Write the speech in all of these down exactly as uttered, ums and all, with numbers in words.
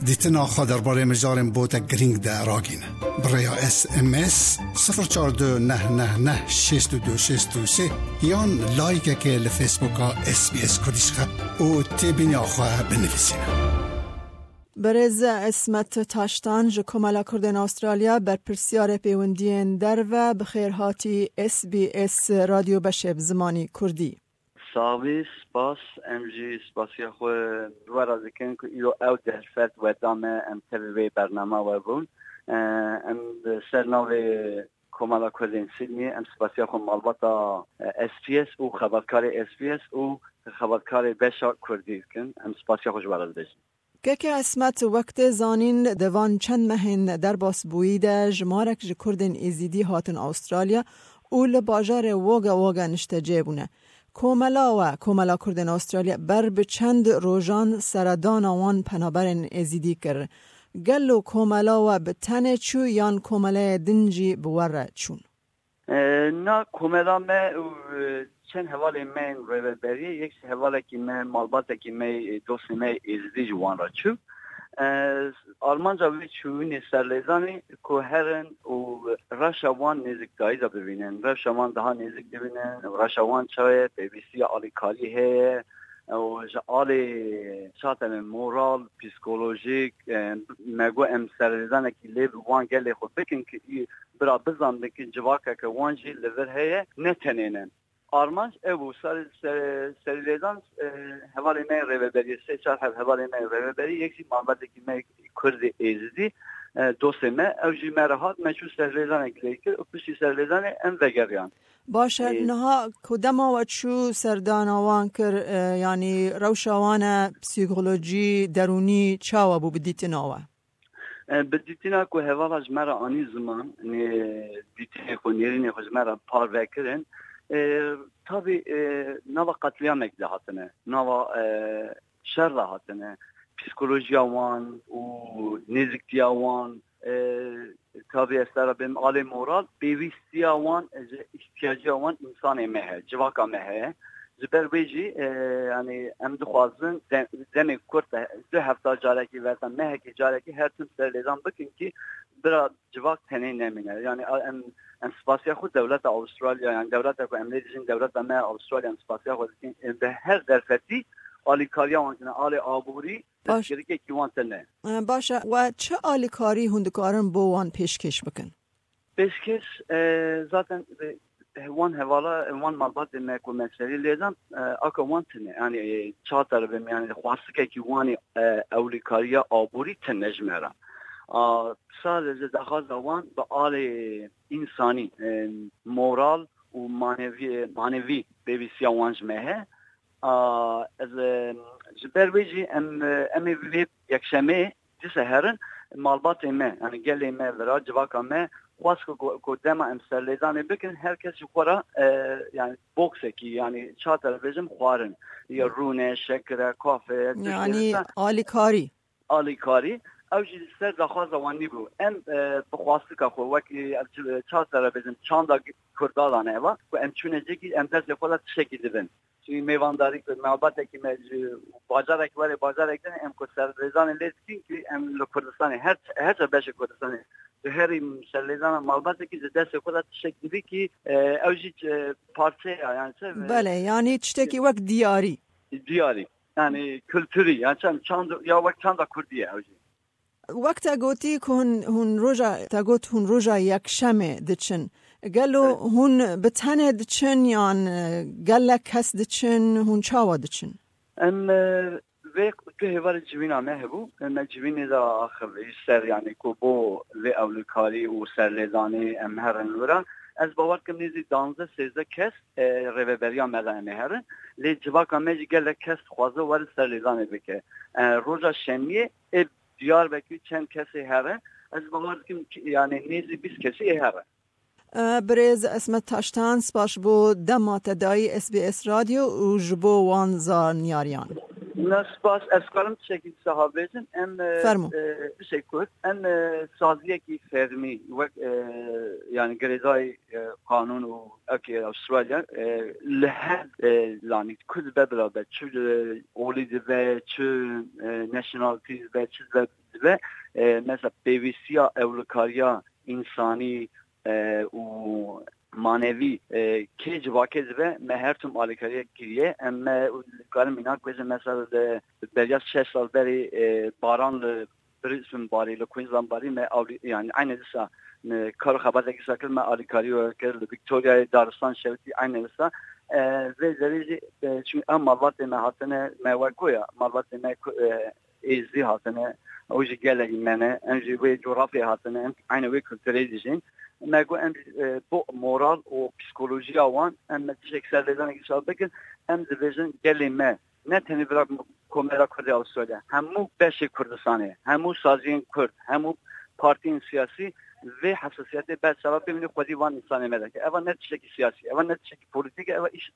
Dîtina xwe derbarê mijarên botek girîng de ragîne. Bi rêya S M S sifir çar du neh neh neh şêst û du şêst û sê yan layikekê li Facebooka S B S Kurdî ji xwe û têbîniya xwe binivîsîne. Birêz Esmet Taştan ji Komela Kurdên Astralya, berpirsiyarê pêwendiyên derve, bi xêr hatî S B S Radyo Beşê bi zimanî Kurdî. Sax bî, spas. Em jî spasiya xwe ji we re dikin ku îro ew derfet we da me, em tevî vê bernama we bûn. E, em li ser navê Komela Kurdên Sydney, em spasiya xwe malbata, e, S B S û xebatkarê S B S û xebatkarê beşa Kurdî dikin. Em spasiya xwe ji we re dibêjin. Keke Esmet, wek tê zanîn, di van çend mehên derbasbûyî de jimarek ji Kurdên Êzîdî hatin Astralya û li bajarê Wagga Wagga niştecê bûne. Komela we, Komela Kurdên Astralya, ber bi çend rojan seredana wan penaberên Êzîdî kir. Gelo komela we bi tenê çû yan komeleyê din jî bi we re çûn? E, na komela me û, e, çend hevalên me yên rêveberiyê, yek ji hevalekî me, malbatekî me, e, dostê me Êzidî ji wan re çû. E, armanca wê çûyînê serlêzanê ku herin û rewşa wan nêzîkdayî de bibînin. Rewşa wan daha nêzîk dibînin. Rewşa wan çawa ye? Pêwîstiya alîkarî heye. Û ji alê çateme moral, psîkolojîk, e, me got em serlêzanekî lê bi wan gelê xwe bikin ki bira bizanibin ki civakeke wan jî li vir heye, ne tenê ne. Armanc ev bû, ser, ser, serlêzan, e, hevalê me rêveberiyê, sê çar heb hevalê me rêveberî, yek jî malbatekî me Kurdê Êzidî, e, dostê me, ew jî me re hat, me çû serlêzanek lê kir û piştî serlêzanê em vegeriyan. Baş e, Ê, niha ku dema we çû serdana wan kir, e, yanî rewşa wan e, psîkolojî, derûnî çawa bû bi dîtina we? E, bi dîtina ku hevala ji me re anî ziman, nê dîtinê xwe, nêrînê xwe ji me re parve kirin, e, tabî, e, nava qetlîyamek de hatine, nava, e, şer de hatine. Psîkolojiya wan û nêzîktiya wan, e, tabî ez te re bêm alê moral, pêwîstiya wan, e, ji îhtiyaciya wan însanê me heye, civaka me heye. Ji ber wê jî, e, yanî em dixwazin de-, demê kurt de du hefta carekî verda, mehekî carekî her tim serlêzan bikin ki bira civak tenê nemîne. Yanî a-, em, em spasiya xwe dewleta Avustralya, yanî dewleta ku em lê dijîn, dewleta me Avustralya, em spasiya xwe dikin. Em bi her derfetî alîkariya wan dine, alê aborî, Baş. Destgirikekî wan tune. E, baş e, we çi alîkarî hûn dikarin bo wan pêşkêş bikin? Pêşkêş, e, zaten, e, wan hevala, wan malbatê me ku me serî lêdan, e, aka wan tune. Yanî, e, çater bim, yanî xwastikekî wan ê, e, ewlîkariya aborî tune ji me re. A, sadece daxwaza wan bi alê însanî, e, moral û manevî, manevî pêwîstiya wan ji me heye. A, ez, e, ji ber wê jî em, e, em ê vê yekşemê dîse herin malbatê me, yani gelê me vira, civaka me xwest ku, ku, ku dema em serlêdanê bikin, her kes ji xwe re, e, yani boksekî, yani çater bêjim xwarin, ya rûne, şekire, kafe, tiştê Yani wisa. Alîkarî. Alîkarî, ew jî li ser daxwaza wan nîbû. Em, e, bi xwastika xwe wek, e, ev çi, çater bêjim, çanda Kurda dane eva, ku em çûne cekî, em destê xwe de tiştekî dibin. Çi mêvandarî ku malbatekî me ji bajarek were bajarek din, em ku serlêzanê lê dikin ki em li Kurdistanê, her, her çar beşê Kurdistanê, ji herî serlêzana malbatekî ji destê xwe de tiştek dibî ki, e, ew jî, e, parçeya, yani çi, e, Belê, yani tiştekî wek diyarî. Diyarî. Yani kulturî, yani çend, çand, ya wek çanda Kurdî ye ew jî. Wek te gotî ku hûn, hûn roja, te got hûn roja yekşemê diçin. Gelo Evet. hûn bi tenê diçin yan, e, gelek kes diçin, hûn çawa diçin? Em, e, vê tu hêvarê civîna me hebû, em me civînê de axivî ser, yani ku bo vê ewlikarî û serlêdanê em herin wira. Ez bawer dikim nêzî danzdeh sêzdeh kes, e, rêveberiya me de em ê herin. Lê civaka me jî gelek kes dixwaze were serlêdanê bike. E, roja şemiyê ê Diyarbekir çend kesê here. Ez bawer dikim ki, yani nêzî bîst kesî ê here. E, Birêz Esmet Taştan, spas bo dema te dayî S B S Radyo û ji bo wan zanyariyan. Na spas, ez karim tiştekî saha bêjim. Em, e, Fermo. e, tiştek kurt. Em, e, saziyekî fermî, wek, e, yani girêdayî, e, qanûn û ewkê Avustralya, e, li her, e, lanî Kurd be bila be, çi, e, olî dibe, çi, e, nationality dibe, çi dibe, be, e, mesela pêwîstiya ewlikariya însanî, e, û manevî, e, kê civakê dibe, me her tim alîkariya kiriye. Em me, û dikarim îna ku ez mesela li beriya şeş sal berî, e, baran li Brisbane barî, li Queensland barî me awlî, yani eyne dîsa, e, kar û xebatekî sa kir, me alîkarî we kir, li Victoria'yê, Daristan, Şewitî eyne dîsa. E, vê derê jî, e, çi ew malbatê me hatine, me we goya, malbatê me ku, e, Êzdî hatine, ew jî gelekî me ne, em jî wê coğrafyayê hatine, em eyne wê kulturê dijîn. Me got em, e, bo moral û psîkolojiya wan, em me tiştek ser lêdanekî sa bikin, em dibêjin gelê me, ne tenê vira Komela Kurdê Avustralya, hemû beşê Kurdistanê, hemû saziyên Kurd, hemû partiyên siyasî vê hesasiyetê ber seba bimîne xwedî van însanê me dike. Eva ne tiştekî siyasî, eva ne tiştekî polîtîk e, eva îş,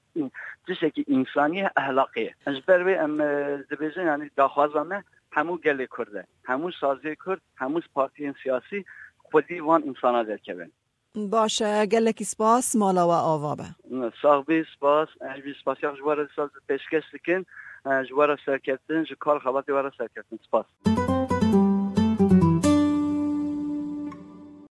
tiştekî însanî ye, ehlaqî ye. Ji ber wê em, e, dibêjin, yani daxwaza me hemû gelê Kurd e. Hemû saziyê Kurd, hemû partiyên siyasî xwedî van însana derkevin. Baş e, gelekî spas, mala we ava be. Sax bî, spas. Ez jî spasiya ji we re dîsa pêşkeş dikin. Ji we re serkeftin, ji kar xebatê we re serkeftin. Spas.